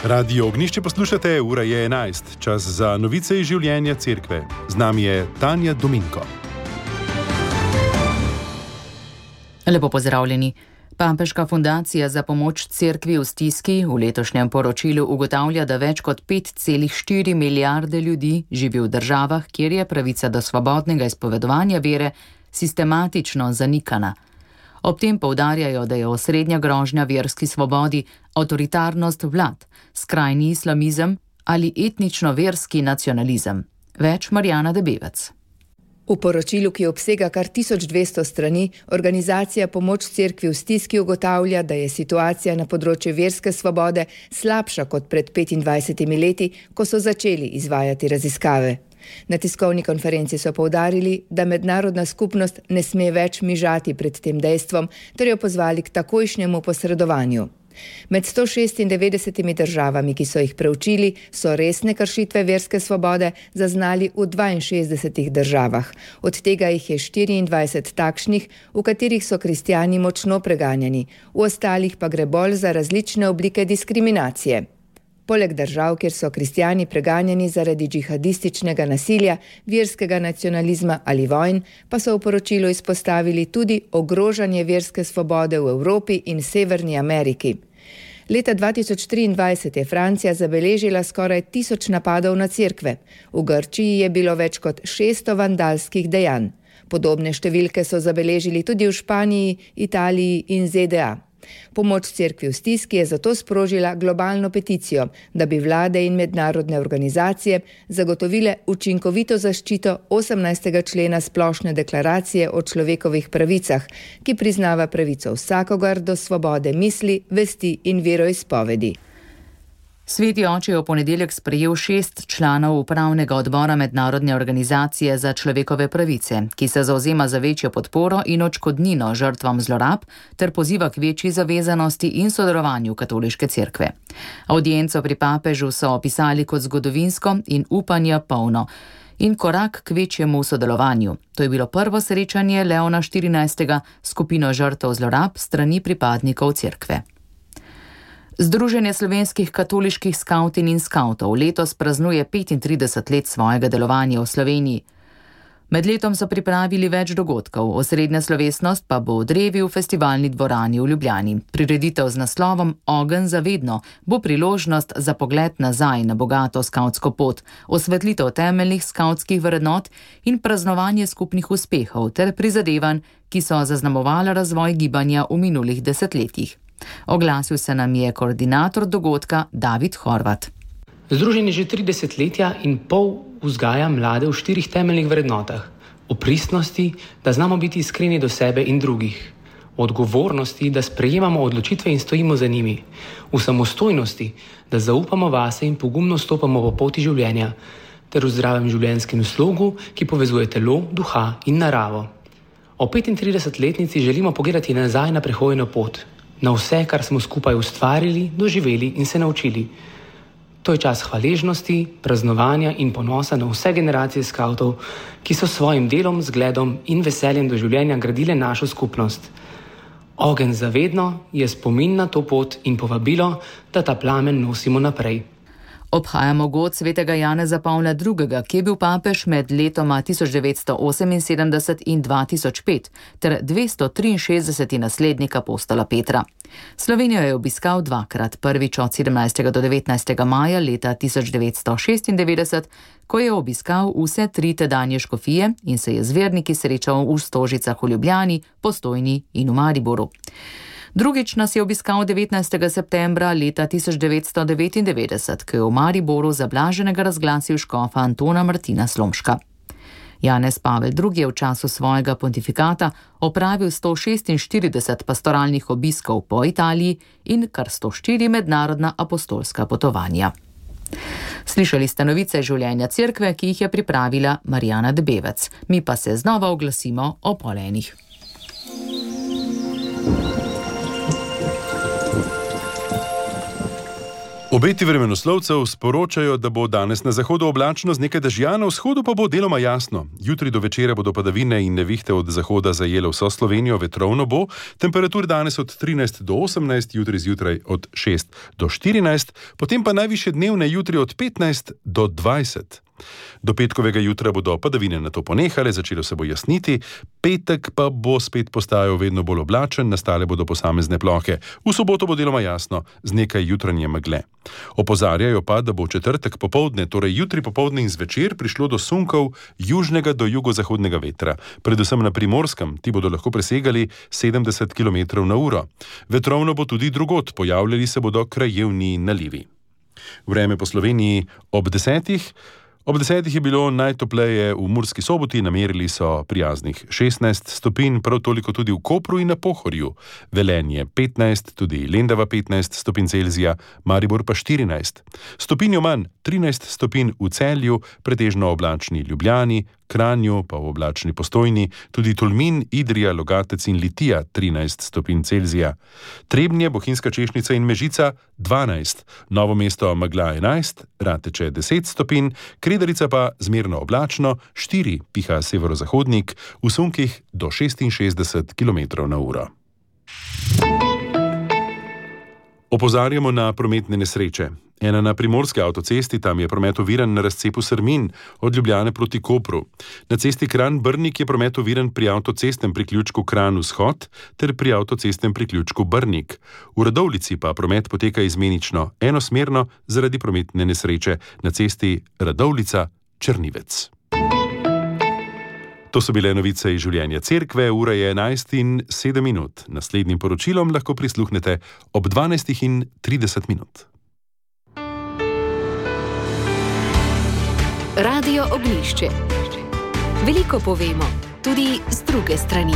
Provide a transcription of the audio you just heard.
Radio Ognišče poslušate, ura je 11, čas za novice iz življenja cerkve. Z nami je Tanja Dominko. Lepo pozdravljeni. Papežka fundacija za pomoč cerkvi v stiski v letošnjem poročilu ugotavlja, da več kot 5,4 milijarde ljudi živi v državah, kjer je pravica do svobodnega izpovedovanja vere sistematično zanikana. Ob tem poudarjajo, da je osrednja grožnja verski svobodi avtoritarnost vlad, skrajni islamizem ali etnično-verski nacionalizem. Več Marjana Debevec. V poročilu, ki obsega kar 1200 strani, organizacija Pomoč cerkvi v stiski ugotavlja, da je situacija na področju verske svobode slabša kot pred 25 leti, ko so začeli izvajati raziskave. Na tiskovni konferenci so poudarili, da mednarodna skupnost ne sme več mižati pred tem dejstvom, ter jo pozvali k takojšnjemu posredovanju. Med 196 državami, ki so jih preučili, so resne kršitve verske svobode zaznali v 62 državah. Od tega jih je 24 takšnih, v katerih so kristjani močno preganjani, v ostalih pa gre bolj za različne oblike diskriminacije. Poleg držav, kjer so kristjani preganjani zaradi džihadističnega nasilja, verskega nacionalizma ali vojn, pa so v poročilu izpostavili tudi ogrožanje verske svobode v Evropi in Severni Ameriki. Leta 2023 je Francija zabeležila skoraj 1000 napadov na cerkve. V Grčiji je bilo več kot 600 vandalskih dejanj. Podobne številke so zabeležili tudi v Španiji, Italiji in ZDA. Pomoč cerkvi v stiski je zato sprožila globalno peticijo, da bi vlade in mednarodne organizacije zagotovile učinkovito zaščito 18. člena Splošne deklaracije o človekovih pravicah, ki priznava pravico vsakogar do svobode misli, vesti in veroizpovedi. Sveti oče je v ponedeljek sprejel 6 članov upravnega odbora Mednarodne organizacije za človekove pravice, ki se zavzema za večjo podporo in odškodnino žrtvam zlorab ter poziva k večji zavezanosti in sodelovanju katoliške cerkve. Avdienco pri papežu so opisali kot zgodovinsko in upanja polno in korak k večjemu sodelovanju. To je bilo prvo srečanje Leona XIV. Skupino žrtev zlorab strani pripadnikov cerkve. Združenje slovenskih katoliških skavtin in skavtov letos praznuje 35 let svojega delovanja v Sloveniji. Med letom so pripravili več dogodkov, osrednja slovesnost pa bo v drevi v festivalni dvorani v Ljubljani. Prireditev z naslovom Ogenj za vedno bo priložnost za pogled nazaj na bogato skavtsko pot, osvetlitev temeljnih skavtskih vrednot in praznovanje skupnih uspehov ter prizadevanj, ki so zaznamovala razvoj gibanja v minulih desetletjih. Oglasil se nam je koordinator dogodka David Horvat. Združenje že 3 desetletja in pol vzgaja mlade v 4 temeljnih vrednotah. O pristnosti, da znamo biti iskreni do sebe in drugih. O odgovornosti, da sprejemamo odločitve in stojimo za njimi. V samostojnosti, da zaupamo vase in pogumno stopamo po poti življenja. Ter v zdravem življenjskem slogu, ki povezuje telo, duha in naravo. O 35-letnici želimo pogledati nazaj na prehojeno pot. Na vse, kar smo skupaj ustvarili, doživeli in se naučili. To je čas hvaležnosti, praznovanja in ponosa na vse generacije skavtov, ki so svojim delom, zgledom in veseljem do življenja gradile našo skupnost. Ogenj za vedno je spomin na to pot in povabilo, da ta plamen nosimo naprej. Obhajamo god svetega Janeza Pavla II., ki je bil papež med letoma 1978 in 2005 ter 263. naslednik apostola Petra. Slovenijo je obiskal dvakrat, prvič od 17. do 19. maja leta 1996, ko je obiskal vse 3 tedanje škofije in se je z verniki srečal v Stožicah v Ljubljani, Postojni in v Mariboru. Drugič nas je obiskal 19. septembra leta 1999, ko je v Mariboru za blaženega razglasil škofa Antona Martina Slomška. Janez Pavel II. Je v času svojega pontifikata opravil 146 pastoralnih obiskov po Italiji in kar 104 mednarodna apostolska potovanja. Slišali ste novice življenja cerkve, ki jih je pripravila Marjana Debevec. Mi pa se znova oglasimo o polenih. Obeti vremenoslovcev sporočajo, da bo danes na zahodu oblačno z nekaj dežja, na vzhodu pa bo deloma jasno. Jutri do večera bodo padavine in nevihte od zahoda zajele vso Slovenijo, vetrovno bo, temperatur danes od 13 do 18, jutri zjutraj od 6 do 14, potem pa najvišje dnevne jutri od 15 do 20. Do petkovega jutra bodo padavine nato ponehale, začelo se bo jasniti, petek pa bo spet postajal vedno bolj oblačen, nastale bodo posamezne plohe. V soboto bo deloma jasno, z nekaj jutranje megle. Opozarjajo pa, da bo v četrtek popoldne, torej jutri popoldne in zvečer, prišlo do sunkov južnega do jugozahodnega vetra. Predvsem na Primorskem, ti bodo lahko presegali 70 km/h. Vetrovno bo tudi drugod, pojavljali se bodo krajevni nalivi. Vreme po Sloveniji ob 10. Ob 10 je bilo najtopleje v Murski Soboti, namerili so prijaznih 16 stopinj, prav toliko tudi v Kopru in na Pohorju. Velenje 15, tudi Lendava 15 stopinj Celzija, Maribor pa 14. Stopinjo manj 13 stopinj v Celju, pretežno oblačni Ljubljani, Kranju pa v oblačni Postojni, tudi Tolmin, Idrija, Logatec in Litija 13 stopinj Celzija. Trebnje, Bohinjska Češnica in Mežica 12, Novo mesto megla 11, Rateče 10 stopinj, Kredarica pa zmerno oblačno 4, piha severozahodnik, v sunkih do 66 km/h. Opozarjamo na prometne nesreče. Ena na primorski avtocesti, tam je promet oviran na razcepu Srmin, od Ljubljane proti Kopru. Na cesti Kranj-Brnik je promet oviran pri avtocestnem priključku Kranj-Vzhod ter pri avtocestnem priključku Brnik. V Radovljici pa promet poteka izmenično, enosmerno zaradi prometne nesreče na cesti Radovljica-Črnivec. To so bile novice iz življenja Cerkve, ura je 11:07. Naslednjim poročilom lahko prisluhnete ob 12:30. Radio Ognjišče. Veliko povemo, tudi z druge strani.